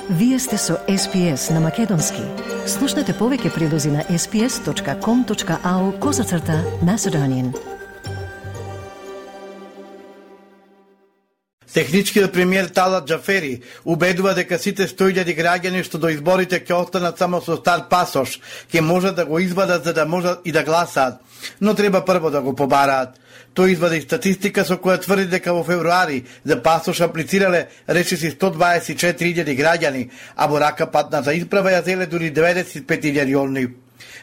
Вие сте со SPS на Македонски. Слушнете повеќе прилози на sps.com.au/Macedonian. Техничкиот премиер Талат Џафери убедува дека сите 100.000 граѓани што до изборите ќе останат само со стар пасош, ќе можат да го извадат за да можат и да гласаат, но треба прво да го побараат. Тој извади статистика со која тврди дека во февруари за пасош аплицирале речиси 124.000 граѓани, а во рака патната исправа ја зеле дури 95.000 олни.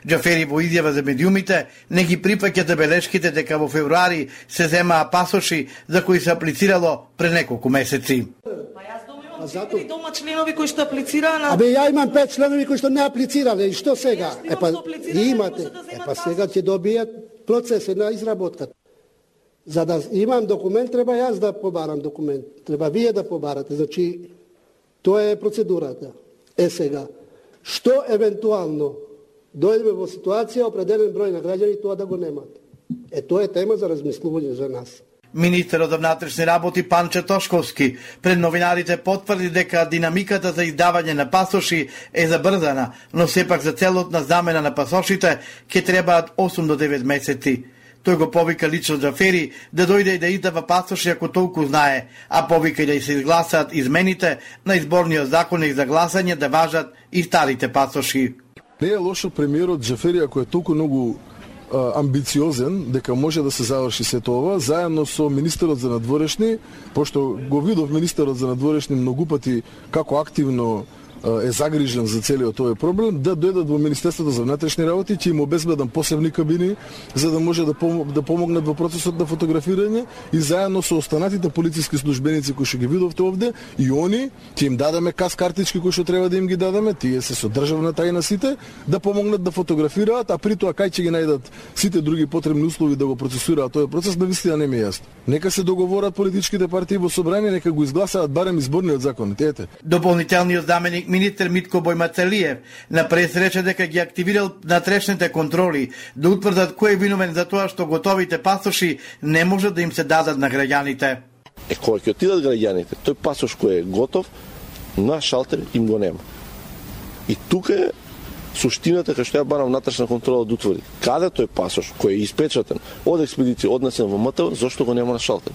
Џафери во изјава за медиумите не ги прифаќа забелешките дека во февруари се земаа пасоши за кои се аплицирало пред неколку месеци. Јас имам дома членови кои што аплицираа на... Ја имам 5 членови кои што не аплицирале, и што сега? Имате. Сега ќе добијат процесот на изработката. За да имам документ, треба јас да побарам документ. Треба вие да побарате. Значи, тоа е процедурата. Сега, што евентуално дојдеме во ситуација определен број на граѓани тоа да го немат. Тоа е тема за размислување за нас. Министерот за внатрешни работи Панче Тошковски пред новинарите потврди дека динамиката за издавање на пасоши е забрзана, но сепак за целотна замена на пасошите ќе требаат 8 до 9 месеци. Тој го повика лично Џафери да дојде и да издава пасоши ако толку знае, а повика и да се изгласаат измените на изборниот законник за гласање да важат и старите пасоши. Не е лошо премиерот Џафери ако е толку многу амбициозен дека може да се заврши сето ова, заедно со министерот за надворешни, пошто го видов министерот за надворешни многу пати како активно е загрижен за целиот овој проблем, да дојдат во Министерството за внатрешни работи, ќе им обезбедам посебни кабини за да може да помогнат во процесот на фотографирање и заедно со останатите полициски службеници кои што ги видовте овде и они ќе им дадеме картички кои што треба да им ги дадеме, тие се со државна тајна сите, да помогнат да фотографираат, а при тоа кај ќе ги најдат сите други потребни услови да го процесираат тој процес, навистина не ми е јасно. Нека се договорат политичките партии во собрание, нека го изгласаат барем изборниот закон. Дополнителниот заменик министер Митко Бојмацелиев на пресрече дека ги активирал натрешните контроли да утврдат кој е виновен за тоа што готовите пасоши не може да им се дадат на граѓаните. Кога ќе отидат граѓаните, тој пасош кој е готов на шалтер им го нема. И тука е суштината кај што ја барам внатрешна контрола да утврди. Каде тој пасош кој е испечатен од експедиција однесен во МТВ, зошто го нема на шалтер?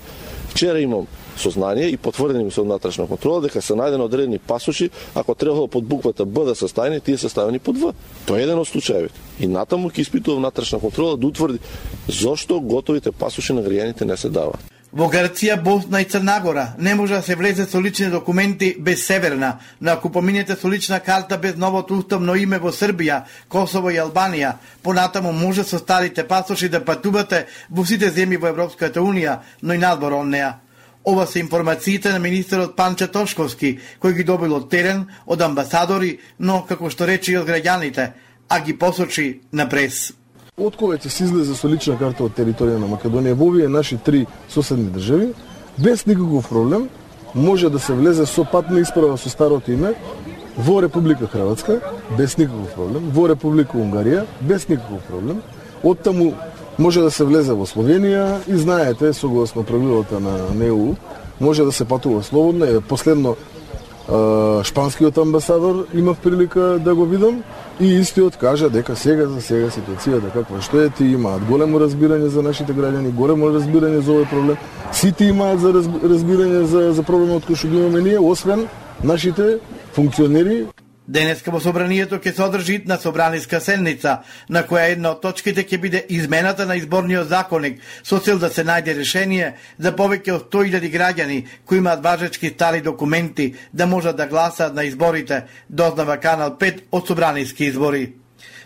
Вчера имам сознание и потврдени ми се од внатрешна контрола дека се најдени одредени пасоши, ако требало под буквата Б да се ставени, тие се ставени под В. Тоа е еден од случаевите. И натаму ќе испитува внатрешна контрола да утврди зошто готовите пасоши на граѓаните не се даваат. Во Грција, Босна и Црнагора не може да се влезе со лични документи без Северна, но ако поминете со лична карта без новото уставно име во Србија, Косово и Албанија, понатаму може со старите пасоши да патувате во сите земји во Европската Унија, но и надвор од неа. Ова се информациите на министерот Панче Тошковски, кој ги добил од терен, од амбасадори, но како што рече и од граѓаните, а ги посочи на прес. Откога ќе се излезе со лична карта од територија на Македонија во овие наши 3 соседни држави, без никаков проблем, може да се влезе со патна исправа со старото име во Република Хрватска, без никаков проблем, во Република Унгарија, без никаков проблем. Оттаму може да се влезе во Словенија и знаете, согласно правилата на ЕУ, може да се патува слободно. Последно шпанскиот амбасадор имав прилика да го видам и истиот кажа дека сега ситуацијата каква што е, тие имаат големо разбирање за нашите граѓани, големо разбирање за овој проблем. Сите имаат за разбирање за проблемот кој што ги имаме ние, освен нашите функционери. Денеска во собранието ќе се одржи на собраниска седница, на која една од точките ќе биде измената на изборниот законник, со цел да се најде решение за повеќе од 100.000 граѓани кои имаат важечки стари документи да можат да гласаат на изборите, дознава Канал 5 од собраниски избори.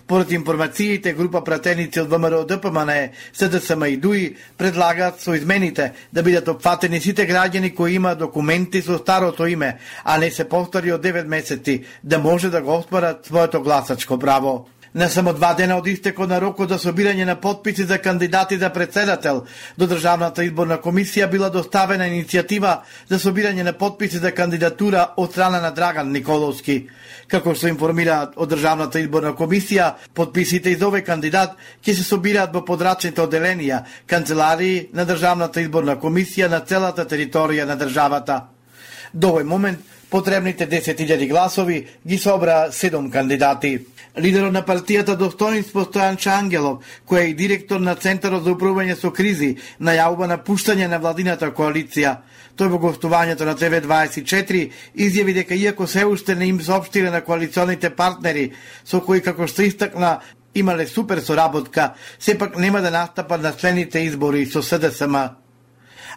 Поред информациите, група пратеници од ВМРО ДПМН, СДСМ и ДУИ предлагаат со измените да бидат опфатени сите граѓани кои имаат документи со старото име, а не се повтори од 9 месеци, да може да го оспорат своето гласачко право. На само 2 дена од истекот на рокот за собирање на потписи за кандидати за председател, до Државната изборна комисија била доставена иницијатива за собирање на потписи за кандидатура од страна на Драган Николовски. Како што информираат од Државната изборна комисија, потписите за овој кандидат ќе се собираат во подрачните оделенија, канцеларии на Државната изборна комисија на целата територија на државата. До овој момент потребните 10.000 гласови ги собра 7 кандидати. Лидерот на партијата Достоинство Стојанче Ангелов, кој е и директор на Центарот за управување со кризи, најавува напуштање на владината коалиција. Тој во гостувањето на ТВ24 изјави дека иако се уште не им соопштиле на коалиционите партнери, со кои како што истакна имале супер соработка, сепак нема да настапат на следните избори со СДСМ.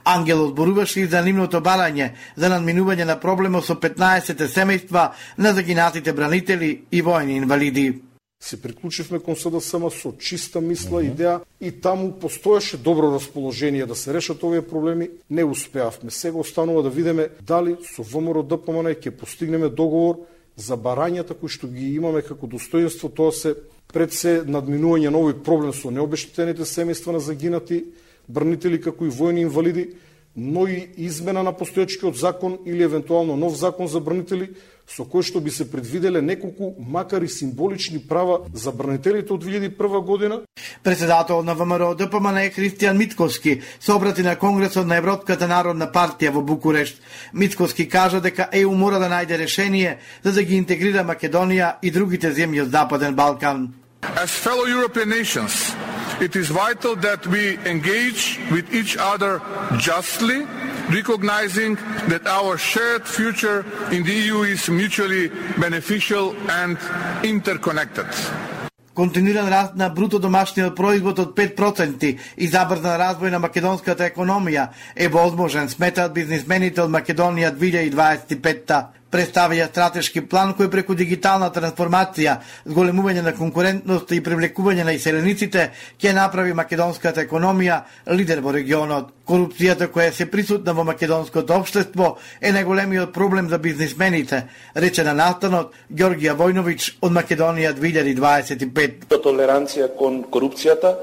Ангелов зборуваше и за нивното барање за надминување на проблемот со 15 семејства на загинатите бранители и војни инвалиди. Се приклучивме кон СДСМ со чиста мисла, идеја и таму постоеше добро расположение да се решат овие проблеми. Не успеавме. Сега останува да видиме дали со ВМРО ДПМН ќе постигнеме договор за барањата кои што ги имаме како достоинство. Тоа се пред се надминување на овој проблем со необештетените семејства на загинати бранители како и војни инвалиди, но и измена на постоечкиот закон или евентуално нов закон за бранители, со кој што би се предвиделе неколку, макар и символични права за бранителите од 2001 година. Председател на ВМРО ДПМН Христијан Митковски се обрати на Конгресот на Европската народна партија во Букурешт. Митковски кажа дека ЕУ мора да најде решение за да ги интегрира Македонија и другите земји од Западен Балкан. As fellow European nations, it is vital that we engage with each other justly, recognizing that our shared future in the EU is mutually beneficial and interconnected. Континуиран раст на бруто домашниот производ од 5% и забрзан развој на македонската економија е возможен, сметаат бизнисмените од Македонија 2025-та. Представија стратешки план кој преку дигитална трансформација, зголемување на конкурентност и привлекување на иселениците ќе направи македонската економија лидер во регионот. Корупцијата која се присутна во македонското општество е најголемиот проблем за бизнисмените, рече на настанот Ѓоргија Војновиќ од Македонија 2025. Толеранција кон корупцијата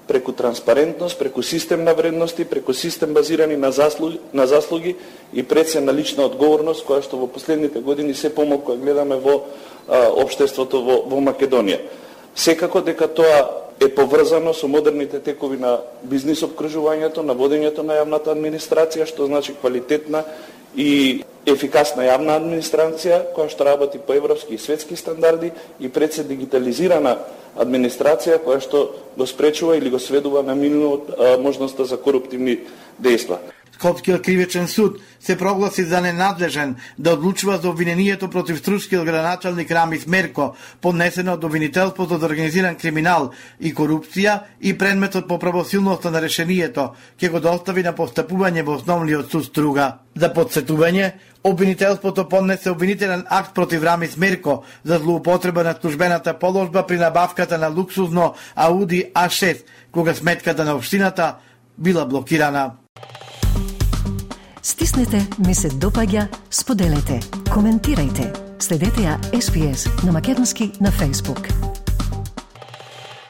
преку транспарентност, преку систем на вредности, преку систем базирани на заслуги и пред се на лична одговорност, која што во последните години се помалку гледаме во општеството во Македонија. Секако дека тоа е поврзано со модерните текови на бизнис обкружувањето, на водењето на јавната администрација, што значи квалитетна и ефикасна јавна администрација, која што работи по европски и светски стандарди и пред се дигитализирана администрација која што го спречува или го сведува на минимум можноста за коруптивни дејства. Скопскиот кривичен суд се прогласи за ненадлежен да одлучува за обвинението против стручкиот градоначалник Рамис Мерко, поднесено од обвинителството за организиран криминал и корупција и предметот по правосилноста на решението ќе го достави на постапување во основниот суд Струга. За подсетување, обвинителството поднесе обвинителен акт против Рамис Мерко за злоупотреба на службената положба при набавката на луксузно Ауди А6, кога сметката на општината била блокирана. Стиснете, ми се допаѓа, споделете, коментирајте. Следете ја SPS на македонски на Facebook.